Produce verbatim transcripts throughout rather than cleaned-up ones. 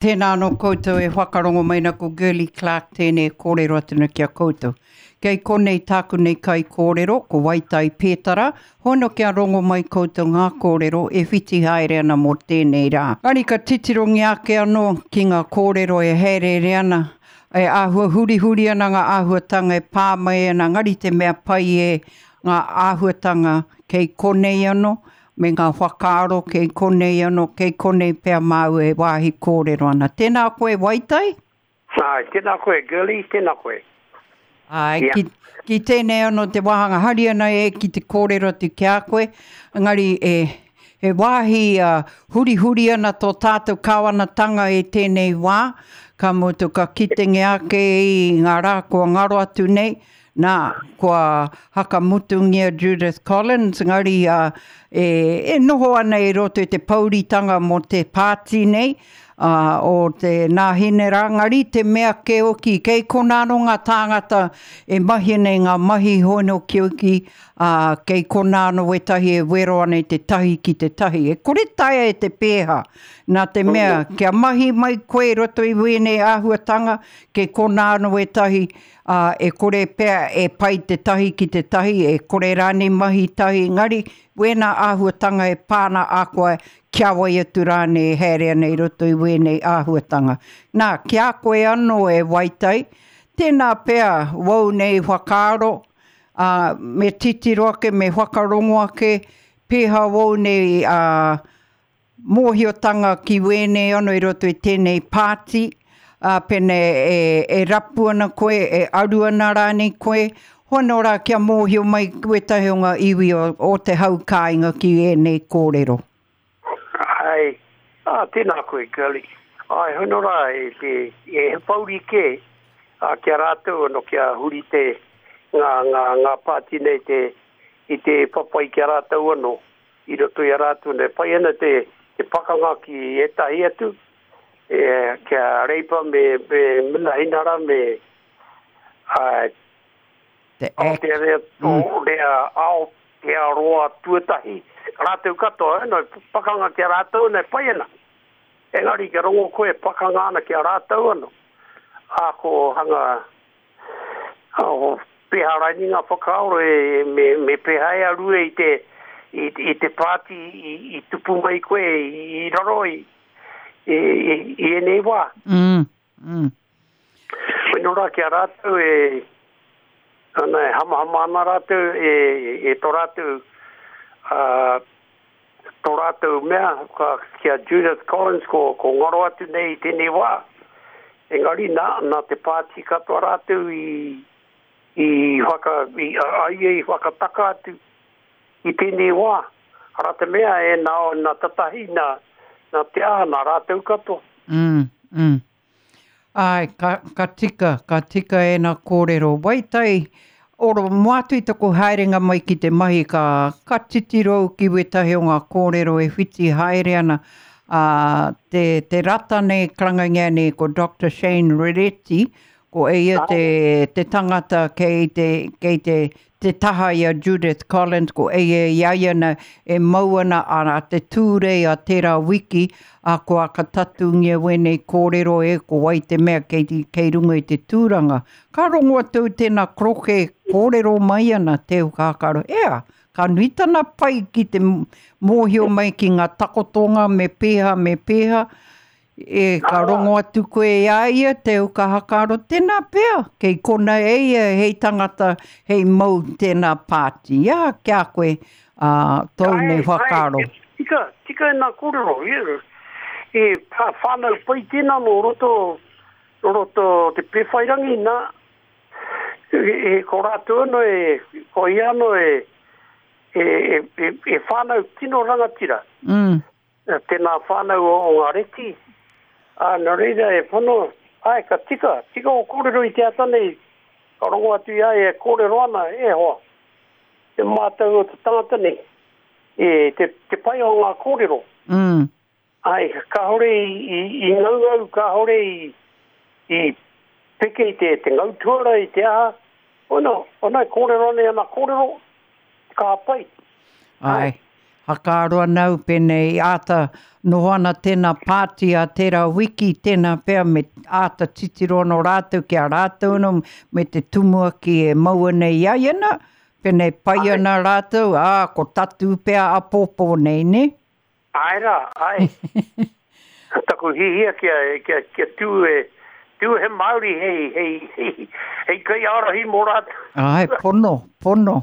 Tēnā anō koutou e whakarongo mai na ko Girlie Clark tēnei kōrero atu na ki a koutou. Kei konei tāku nei kai kōrero, ko Waitai Pētara, hono kia rongo mai koutou ngā kōrero e whiti haere ana mō tēnei rā. Ngari ka titirongi ake anō ki ngā kōrero e haereere ana, e āhua hurihuri ana ngā āhuatanga e pā mai ana, ngari te mea pai e ngā āhuatanga kei konei anō, me ngā whakaaro kei konei anō, kei konei pea māu e wāhi kōrero ana. Tēnā koe Waitai? Ai, tēnā koe Girlie, tēnā koe. Ai, yeah. ki, ki tēnei anō te wāhanga hari ana e ki te kōrero atu ki a koe, engari e, he wāhi uh, hurihuri ana tō tātou kāwanatanga e tēnei wā, ka mutu ka kitenge ake i ngā rā kua ngaro atu nei, nā, kua hakamutungia Judith Collins, ngari uh, e, e noho ana i roto i te pouritanga mō te pāti nei, uh, o te Nāhinera, ngari te mea keoki, kei kona anō ngā tāngata e mahi nei ngā mahi hono keoki, uh, kei kona anō wetahi e wero ana i te tahi ki te tahi. E kore taea e te pēha, nā te mea, kia mahi mai koe i roto i wēnei āhuatanga, kei kona anō wetahi, uh, e kore pea e pai te tahi ki te tahi, e kore rānei mahi tahi, ngari wēnā āhuatanga e pāna a koe, kia wai atu rānei e haere ana i roto i wēnei āhuatanga. Nā, ki a koe anō e Waitai, tēnā pea wau nei whakaaro, uh, me titiro ake, me whakarongo ake, pēha wau nei uh, mōhiotanga ki wēnei anō i roto i tēnei pāti, uh, pene e, e rapu ana koe, e aru ana rānei koe, hono rā kia mōhio mai wetahi o ngā iwi o, o te hau kāinga ki ēnei kōrero. Ai, ah, tēnā koe, Girlie. Ai, hono rā, e, te, e he pauri kē, a, kia rātou ano kia huri te ngā, ngā, ngā pāti nei te, i te papai kia rātou ano, i roto i a rātou nei. Pai ana te, te pakanga ki ētahi atu, e, kia Reipa me, me Minahinara me a, Te act. Aotearoa, mm. Rea, Aotearoa tuatahi, rātou katoa, eh, no, pakanga ki a rātou, nei pai ana. Engari kia rongo koe pakanga ana ki a rātou ano. A ko hanga, o peha raini ngā whakaaro e, me, me peha e arue i te, i, i te pāti i, i tupu mai koe i, i raro i, i, i, i enei wā. Mm, mm. Weno rā ki a rātou e, ana e hamahama ana rātou e, e tō rātou uh, tō rātou mea ka, ki a Judith Collins ko, ko ngaro atu nei i tēnei wā. Engari nā, nā te pāti katoa rātou i, i whaka, i, a, a ia i whakataka atu i tēnei wā. Ara te mea e nā, nā tatahi, nā, nā te aha, nā rātou katoa. Mm, mm. Ai, ka, ka tika, ka tika e nā kōrero. Waitai, oro moatu i taku haerenga mai ki te mahi, ka, ka titiro ki wetahi o ngā kōrero e whiti haere ana. Uh, te, te rata nei, karangangia nei ko Doctor Shane Rereti, ko eia te, te tangata kei te, kei te, te taha i a Judith Collins, ko eia i a ia na e mau ana a te tūrei a tērā wiki, a ko akatatungia wēnei kōrero e ko wai te mea kei, kei runga i te tūranga. Ka rongo atu tēnā kroke kōrero mai ana te ukākaro. Ea, ka nui tana pai ki te mōhio mai ki ngā takotonga me pēha, me pēha. E, ka rongo atu koe i a ia te ukahakaro, tēnā pea, kei kona e ia hei tangata, hei mau tēnā pāti. Ia, kia koe, uh, tōu nei whakaaro. Ai, tika, tika e nā kōrero. E, e whānau pai tēnā no roto, no roto te Pēwhairangi nā, e, e, ko rātou ano e, ko ia ano e, e, e, e, e whānau tino rangatira. Mm. Tēnā whānau o, o ngā reti. A, nā reira e pono, ai, ka tika, tika o kōrero i te ata nei, ka rongo atu i ai e kōrero ana, e hoa, te mātau o te tangata nei, e, te, te pai o ngā kōrero. Mm. Ai, kāhore i, i, i ngaungau, kāhore i, i peke i te, te ngautuara i te aha, ono, ona e kōrero nei ana kōrero, ka pai. Ai, Hakaaro ana au pēnei āta noho ana tēnā pāti a tērā wiki, tēnā pea me āta titiro anō rātou ki a rātou anō me te tumuaki e maua nei i a ia nā, pēnei pai ana rātou, ā, ko tatū pea apōpō nei, nē? Āe rā, āe. Taku hihia kia, kia, kia tū e, tū he Māori hei, hei, hei, hei kaiārahi mō rātou. Āe, pono, pono.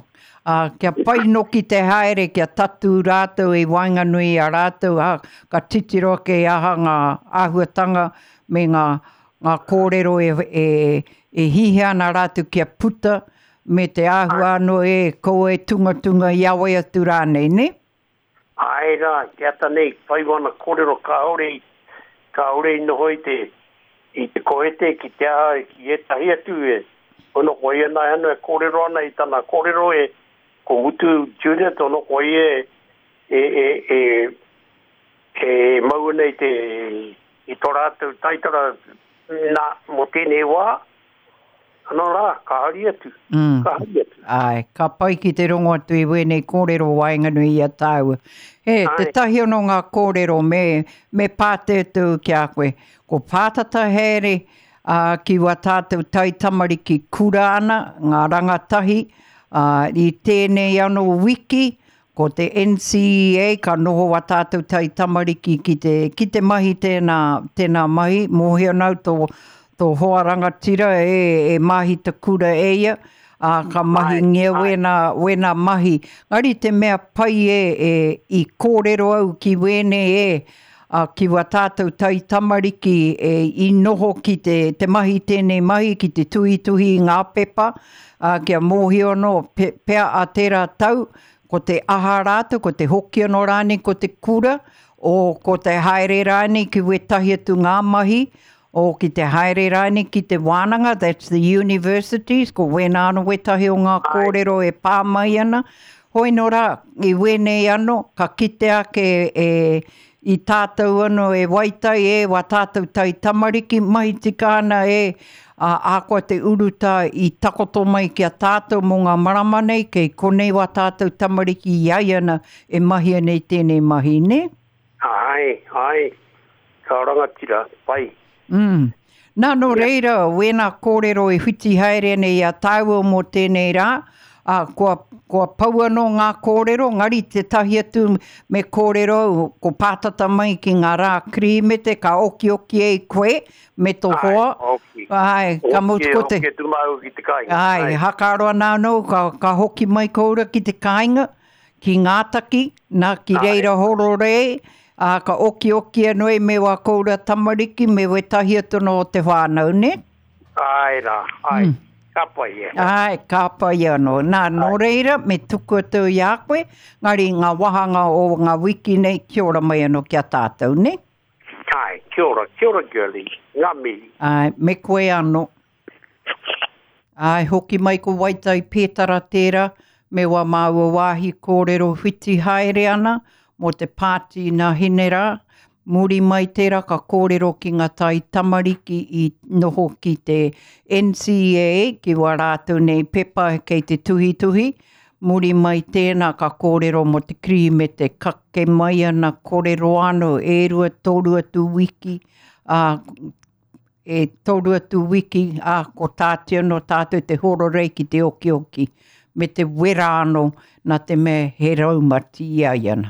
Ā, kia pai noki te haere, kia tatū rātou i waenganui i a rātou, ā, ka titiro ake i aha ngā āhuatanga me ngā, ngā kōrero e, e, e hihia ana rātou kia puta, me te āhua anō e kaua e tungatunga i a wai atu rānei, nē? Āe rā, te ata nei, whai wana kōrero kāore i, kāore i noho i te, i te kohete ki te aha, ki ētahi atu e, ono ko ia nā ano e kōrero ana i tana kōrero e, ko Mutu Junior, ono ko ia e, e, e, e, e mau ana i te, i tō rātou taitara nā, mō tēnei wā, Anō rā, ka hari atu, Mm. ka hari atu. Āe, ka pai ki te rongo atu i wēnei kōrero waenganui i a tāua. He, Āe. tētahi anō ngā kōrero me, me pātai atu ki a koe. Ko pātata haere ā, ki wā tātou taitamariki kura ana, ngā rangatahi, ā, i tēnei anō wiki, ko te N C E A ka noho wā tātou taitamariki ki te, ki te mahi tēnā, tēnā mahi, mōhio nau tō, tō hoa rangatira e, e māhita kura e ia, ā, ka mahingia Ai, ai. wēnā, wēnā mahi. Ngari te mea pai e, e i kōrero au ki wēnei e, ā, ki wā tātou taitamariki e, i noho ki te, te mahi tēnei mahi, ki te tuhituhi i ngā pepa, ā, kia mōhio anō pe, pea a tērā tau, ko te aha rātou, ko te hoki anō rānei, ko te kura, o ko te haere rānei ki wētahi atu ngā mahi, o ki te haere rānei ki te wānanga, that's the universities, ko wēnā anō wētahi o ngā Ai. kōrero e pā mai ana. Hoi nō rā, i wēnei anō, ka kite ake e, i tātou anō e waitai e, wā tātou taitamariki mahi tika ana e, ā, ahakoa te urutā i takoto mai ki a tātou mō ngā marama nei, kei konei wā tātou tamariki i ai ana e mahi ana i tēnei mahi, nē? Ai, ai, ka rangatira, pai. Mm. Nā, nō Yeah. reira, wēnā kōrero e whiti haere nei a tāua mō tēnei rā, ā, kua, kua pau anō ngā kōrero, ngari tētahi atu me kōrero au, ko pātata mai ki ngā rā Kirihimete, ka okioki e koe me tō Ai, hoa. oki. Ai, ka mutu Oki, ko te oki atu māu ki te kāinga. Ai, Ai. hakaaro ana anō, ka, ka hoki mai koura ki te kāinga, ki Ngātaki, nā ki Ai. reira horore, ā, ka okioki anō e me wā koura tamariki, me wētahi atu anō o te whānau, ne? Ai rā, ai, Mm. ka pai e. Ai, ka pai anō. Nā, nō Ai. reira, me tuku atu i a koe, ngari ngā wāhanga o ngā wiki nei, kia ora mai anō ki a tātou, ne? Ai, kia ora, kia ora, girlie, ngā mihi. Ai, me koe anō. Ai, hoki mai ko Waitai Pētara tērā, me wā māua wāhi kōrero whiti haere ana mō te pāti nā Hinerā. Muri mai tērā ka kōrero ki ngā tai tamariki i noho ki te N C E A, ki wā rātou nei pepa kei te tuhituhi. Muri mai tēnā ka kōrero mō te Kirihimete kake mai ana kōrero anō e rua toru atu wiki, ā, e toru atu wiki, ā, ko tātou anō tātou te hororei ki te okioki, me te wera anō nā te mea he raumati i a ia ana.